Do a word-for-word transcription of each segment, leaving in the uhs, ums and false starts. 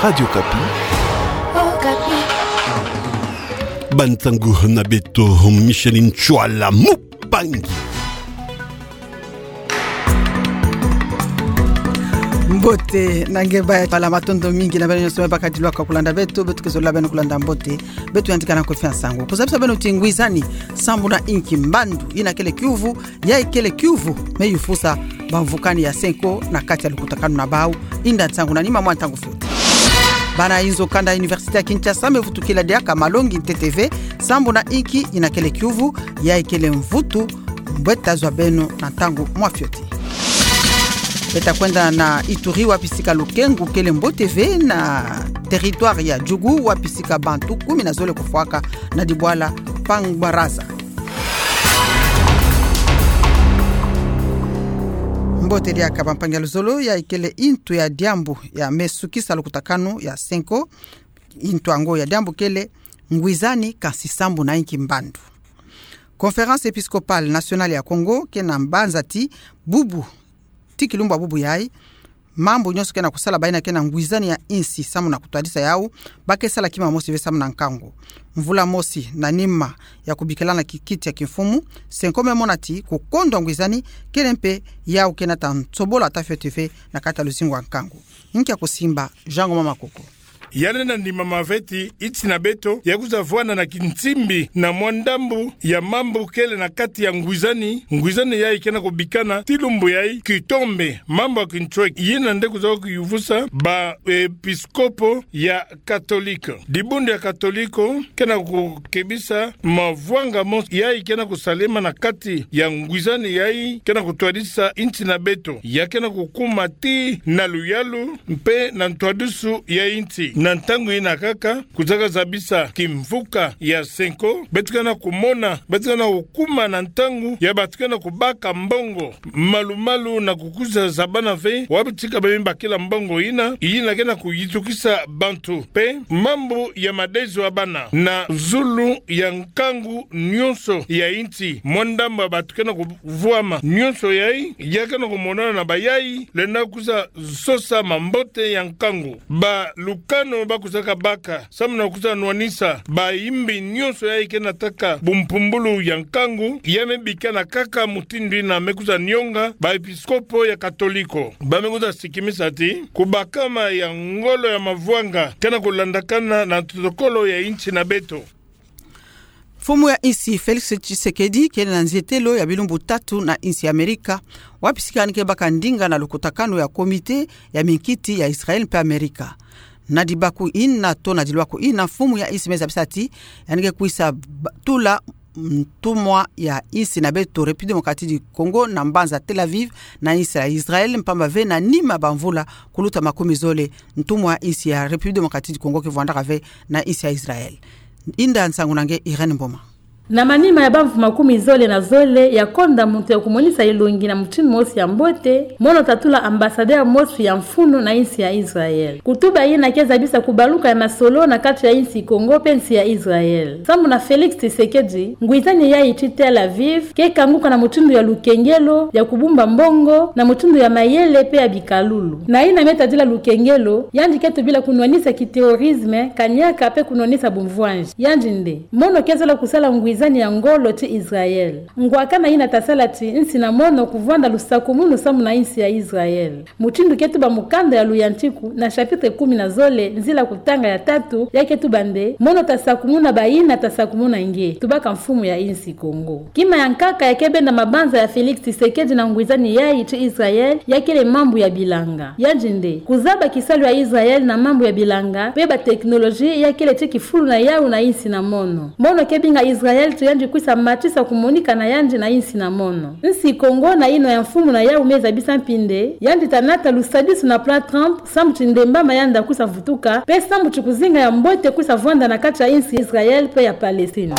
Radio Okapi. Okapi. Bansangu na beto, Micheline Tshuala Mupangi. Mbote na nge baya, bala matondo mingi na beno nyonso me bakadiwaka kulanda beto, beto ke zolila beno kulanda mbote, beto yandi kana kofia nsangu. Kuzabisa beno ti ngwizani sambu na inki mbandu, yina kele kiuvu, yayi kele kiuvu me yufusa bamvukani ya Cenco na kati ya lukutakanu na bau, inda nsangu na nima mwa ntangu fioti. Bana inzo kanda ya Université ya Kinshasa me vutukila diaka malongi ntete ve sambu na inki yina kele kiuvu, yayi kele mvutu, mbo tazwa beno na ntangu mwa fioti. Beta kwenda na Ituri, wapi sika lukengu kele mbote ve na territoire ya Djugu, wapi sika bantu kumi na zole kufwaka na dibwala Pangwaraza. Mbote diaka bampangi ya luzolo, yayi kele intu ya diambu ya me sukisa lukutakanu ya Cenco. Intu yango ya diambu kele ngwizani kansi sambu na inki mbandu. Conférence Épiscopale Nationale ya Congo ke na mbanza ti bubu, ti kilumbu ya bubu yayi, mambu nyonso ke na kusala, bayina ke na ngwizani ya insi sambu na kutwadisa yau, ba ke sala kima mosi ve sambu na nkangu. Mvula mosi na nima ya kubikila na kikiti ya kimfumu, Cenco me mona ti kukondwa ngwizani kele mpe yau ke na ta nsobola ata fioti ve na kati ya luzingu ya nkangu. Nkia kusimba, Jean Ngoma Makoko. Yandi na ndimama ve ti insi na beto ya kwiza vwanda na kinsimbi na mwa ndambu ya mambu kele na kati ya ngwizani. Ngwizani yayi ke na kubikana ti lumbu yayi kitombe, mambu ya kintsweki, yina nde kwiza kuyuvusa ba episkopo ya Katolika. Dibundu ya Katoliko ke na kukebisa mavwanga mosi yayi ke na kusalema na kati ya ngwizani yayi ke na kutwadisa insi na beto. Ya ke na kukuma tii na luyalu mpe na ntwadusu ya insi. Na ntangu yina kaka, kwizaka zabisa kimvuka ya Cenco, beto ke na kumona, beto ke na kukuma na ntangu ya bato ke na kubaka mbongo malu-malu na kukwiza zabana ve wapi tika ba me bakila mbongo yina, yina ke na kuyitukisa bantu. Mpe mambu ya madezo ya bana na zulu ya nkangu nyonso ya insi, mwa ndambu ya bato ke na kuvwama. Nyonso yayi, ya ke na kumonana na bayayi, lenda kwiza sosa mambote ya nkangu. Balukano ba kwizaka baka sambu na kwiza nwanisa baimbi nyonso yayi ke na taka bumpumbulu ya nkangu, ya me bikana kaka mutindu yina me kwiza nionga ba episkopo ya Katoliko. Ba me kwiza sikimisa ti kubakama ya ngolo ya mavwanga ke na kulandakana na protokolo ya insi na beto. Mfumu ya insi Félix Tshisekedi kele na nzietelo ya bilumbu tatu na insi ya Amerika, wapi sika yandi ke baka ndinga na lukutakanu ya komite ya minkiti ya Israël mpe Amerika. Na dibaku yina to na dilwaku yina, mfumu ya insi me zabisa ti yandi ke kwisa ba-, tula ntumwa ya insi na beto République Démocratique du Congo na mbanza Tel Aviv na insi ya Israël, mpamba ve na nima bamvula kuluta makumi zole, ntumwa ya insi ya République Démocratique du Congo ke vwandaka ve na insi ya Israël. Inda nsangu na nge Irène Mboma. Na manima ya bamvu makumi zole na zole ya konda muntu ya kumonisa elongi na mutindu mosi ya mbote, mono ta tula ambassadeur mosi ya mfunu na insi ya Israël. Kutuba yina ke zabisa kubaluka ya masolo na kati ya insi Congo mpe insi ya Israël. Sambu na Félix Tshisekedi, ngwizani yayi ti Tel Aviv ke kanguka na mutindu ya lukengelo, ya kubumba mbongo, na mutindu ya mayele mpe ya bikalulu. Na yina me tadila lukengelo, yandi ke tubila kunwanisa kiterrorisme, kaniaka mpe kunwanisa bumvwanzi. Yandi nde mono ke zola kusala ngwizani ya ngolo ti Israël. Ngwakana yina ta sala ti insi na mono kuvwanda lusakumunu sambu na insi ya Israël. Mutindu ke tuba mukanda ya Luyantiku na chapitre kumi na zole, nzila kutanga ya tatu, ya ke tuba nde: Mono ta sakumuna bayina ta sakumuna nge, tubaka mfumu ya insi Congo. Kima ya nkaka ya ke benda mabanza ya Félix Tshisekedi na ngwizani yayi ti Israël, ya kele mambu ya bilanga. Yandi nde kuzaba kisalu ya Israël na mambu ya bilanga, mpe ba technologie ya kele ti kifulu na yawu na insi na mono. Mono ke binga Israël ti yandi kwisa matisa kumonika na yandi na insi na mono. Insi Congo na yino ya mfumu na yawu me zabisa mpi nde yandi ta nata lusadisu na plan Trump, samu ti ndembama yandi ta kwisa vutuka, mpe samu ti kuzinga ya mbote kwisa vwanda na kati ya insi Israël mpe ya Palestine.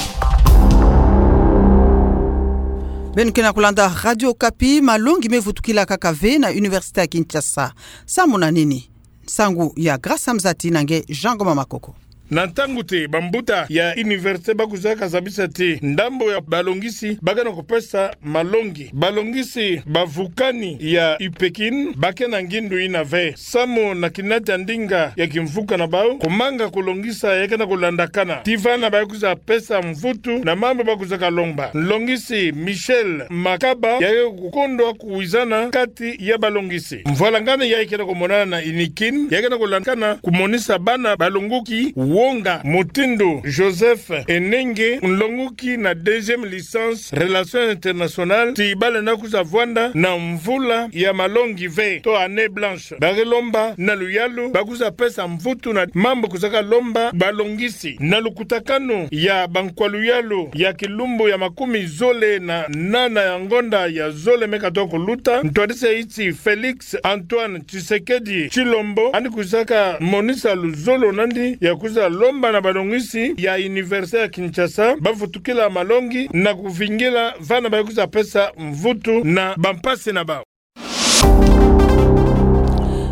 Beno ke na kulanda Radio Okapi, malongi me vutukila kaka ve na Université ya Kinshasa. Samu na nini? Nsangu ya Grâce Mzati na nge Jean Ngoma Makoko. Na ntangu ti bambuta ya université ba kwizaka zabisa ti ndambo ya balongisi ba ke na kupesa malongi, balongisi bavukani ya UPEKIN ba ke na ngindu ina ve. Samu na kinati ya ndinga ya kimvuka na bau, kumanga kulongisa ya ke na kulandakana. Ti vana ba kwiza pesa mvutu na mambu ba kwizaka lomba. Nlongisi Michel Makaba ya ke kukondwa kuwizana kati ya balongisi. Mvwalangani yayi ke na kumonana na UNIKIN, ya ke na kulandakana kumonisa bana balongoki wonga mutindu Joseph Enenge, nlongoki na deuxième licence Relations internationales, ti ba lenda kwiza vwanda na mvula ya malongi ve, to année blanche. Ba ke lomba na luyalu ba kwiza pesa mvutu na mambu kwizaka lomba balongisi. Na lukutakanu ya bankwa luyalu ya kilumbu ya makumi zole na nana ya ngonda ya zole me katoa kuluta, ntwadisi ya nsi Félix Antoine Tshisekedi Tshilombo, yandi kwizaka monisa luzolo na yandi ya kwiza lomba na balongisi ya Université ya Kinshasa ba vutukila malongi na kuvingila vana ba kwiza pesa mvutu na bampasi na bau.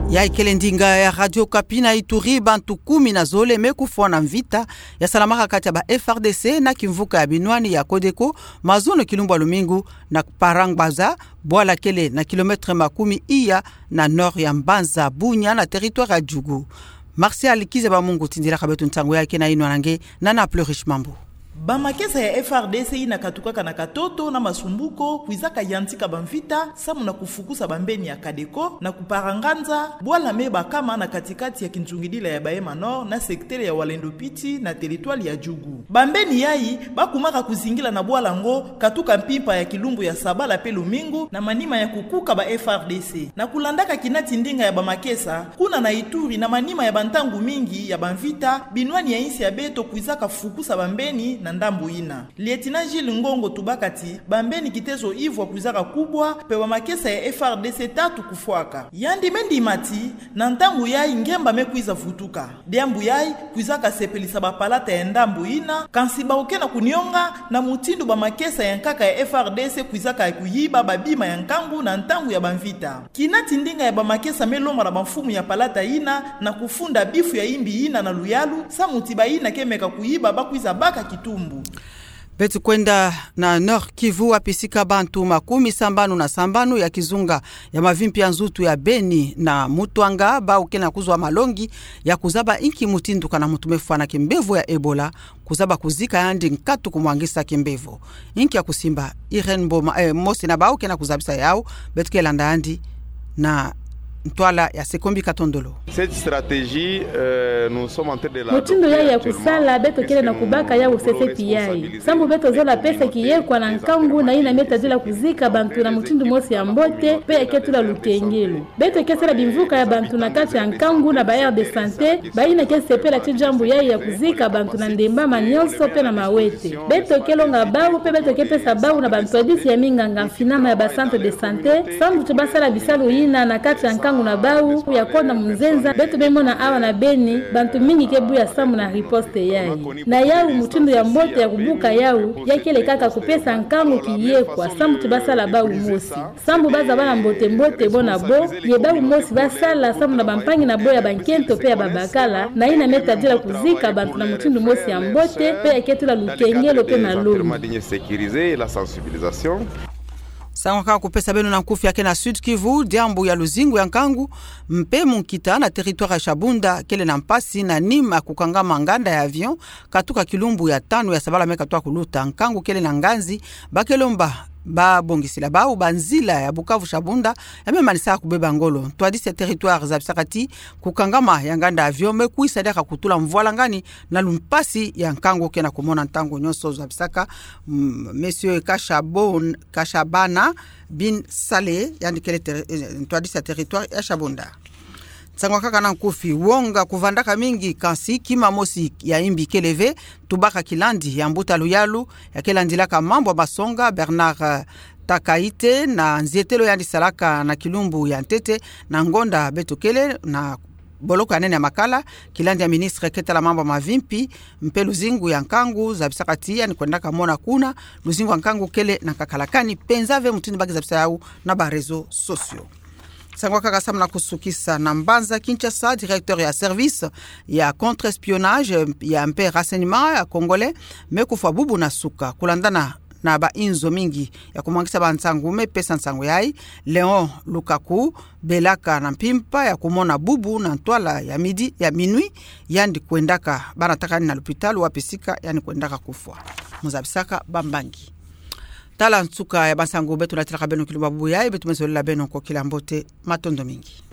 Yayi kele ndinga ya Radio Okapi. Na Ituri, bantu kumi na zole me kufwa na mvita ya salamaka kati ya ba F R D C na kimvuka ya binwani ya CODECO mazono kilumbu ya lumingu na Parangbaza, bwala kele na kilomètre makumi iya na nord ya mbanza Bunia na territoire ya Djugu. Martial Kizaba Mungu tindilaka beto nsangu yayi ke na yinwa na nge, Nana Plurish Mambu. Bamakesa ya F R D C yina katukaka na katoto na masumbuko kwizaka yantika bamvita samu na kufukusa bambeni ya CODECO na Kuparanganza, bwala me bakama na katikati ya kinzungidila ya Bahema Nord na secteur ya Walendu Piti na territoire ya Djugu. Bambeni yayi ba kumaka kuzingila na bwala ngo katuka mpimpa ya kilumbu ya sabala pe lumingu na manima ya kukuka ba F R D C. Na kulandaka kinati ndinga ya bamakesa, kuna na Ituri, na manima ya bantangu mingi ya bamvita, binwani ya yinsi ya beto kwizaka fukusa bambeni na ndambu yina. Lieutenant Gilles Ngongo tubaka ti bambeni kitezo ivwa kwizaka kubwa, mpe bamakesa ya F R D C tatu kufwaka. Yandi me ndima ti na ntangu yayi ngemba me kwiza vutuka. Diambu yayi kwizaka sepelisa bapalata ya ndambu yina, kansi bau ke na kunionga na mutindu bamakesa ya nkaka ya F R D C kwizaka kuyiba babima ya nkangu na ntangu ya bamvita. Kinati ndinga ya bamakesa me lomba na bamfumu ya palata yina na kufunda bifu ya yimbi yina na luyalu, samu ti bayina ke meka kuyiba ba kwiza baka kitumbu. Beto kwenda na Nord-Kivu, wapi sika bantu makumi sambanu na sambanu ya kizunga ya mavimpi ya nzutu ya Beni na Mutuanga, bau ke na kuzwa malongi ya kuzaba inki mutindu kana muntu me fwa na kimbevo ya Ebola, kuzaba kuzika yandi nkatu kumwangisa kimbevo. Inki ya kusimba? Irène Mboma, eh, mosi na bau ke na kuzabisa yau, beto ke landa yandi na ntwala ya Sekombi Katondolo. Cette stratégie, euh, nous sommes en train de la... Mutindu yayi ya kusala, beto kele na kubaka yau sese pi yayi. Sambu beto zola pesa kiyekwa na nkangu na yina me tadila kuzika bantu na mutindu mosi ya mbote, mpe ya ke tula lukengelo. Beto ke sala bimvuka ya bantu na kati ya nkangu na ba aire de santé, bayina ke sepela ti diambu yayi ya kuzika bantu na ndembama nionso mpe na mawete. Beto ke longa bau, mpe beto ke pesa bau na bantwadisi ya minganga mfinama ya ba centre de santé, sambu ti ba sala bisalu yina na kati ya nkangu na bau ya konda munzenza. Beto me mona awa na Beni, bantu mingi ke buya samu na riposte yayi. Na yau mutindu ya mbote ya kubuka yau, ya kele kaka kupesa nkangu kiyekwa, sambu ti ba sala bau mosi. Sambu ba zaba na mbote-mbote bo na bo, ye bau mosi ba sala samu na bampangi na bo ya bankento mpe ya babakala, na yina me tadila kuzika bantu na mutindu mosi ya mbote, mpe ya ke tula lukengelo mpe malongi. Nsangu kaka kupesa beno na nkufi ya ke na Sud-Kivu, diambu ya luzingu ya nkangu mpe munkita na territoire ya Shabunda kele na mpasi na nima kukangama nganda ya avion, katuka kilumbu ya tanu ya sabala me katoa kuluta. Nkangu kele na nganzi, ba ke lomba babongisila bau banzila ya Bukavu-Shabunda ya me manisa kubeba ngolo. Ntwadisi ya territoire zabisaka ti kukangama ya nganda avion me kwisa diaka kutula mvwalangani na lumpasi ya nkangu ke na kumona ntangu nionso, zabisaka, mm, Monsieur Kashabon-, Kashabana bin Saleh, yandi kele ter-, eh, ntwadisi ya territoire ya Shabunda. Nsangu kaka na nkufi. Wonga kuvandaka mingi, kansi kima mosi ya yimbi kele ve, tubaka kilandi ya mbuta luyalu ya ke landilaka mambu ya masonga, Bernard, eh, Takaite, na nzietelo yandi salaka na kilumbu ya ntete na ngonda beto kele na boloko ya nene ya Makala, kilandi ya ministre ke tala mambu ya mavimpi mpe luzingu ya nkangu, zabisaka ti yandi kwendaka mona kuna luzingu ya nkangu kele na nkakala, kani penza ve mutindu ba ke zabisa yau na ba réseaux sociaux. Nsangu ya nkaka sambu na kusukisa. Na mbanza Kinshasa, directeur ya service ya contre-espionnage ya mpe renseignement ya Congolais me kufwa bubu na suka. Kulandana na bainzo mingi ya kumwangisa bansangu me pesa nsangu yayi, Léon Lukaku belaka na mpimpa ya kumona bubu na ntwala ya midi, ya minuit, yandi kwendaka bana takani na lupitalu wapi sika yandi kwendaka kufwa. Muzabisaka bambangi. Tala nsuka ya bansangu beto natilaka beno kilumbu bubu yayi, beto me zolela beno nkokila mbote, matondo mingi.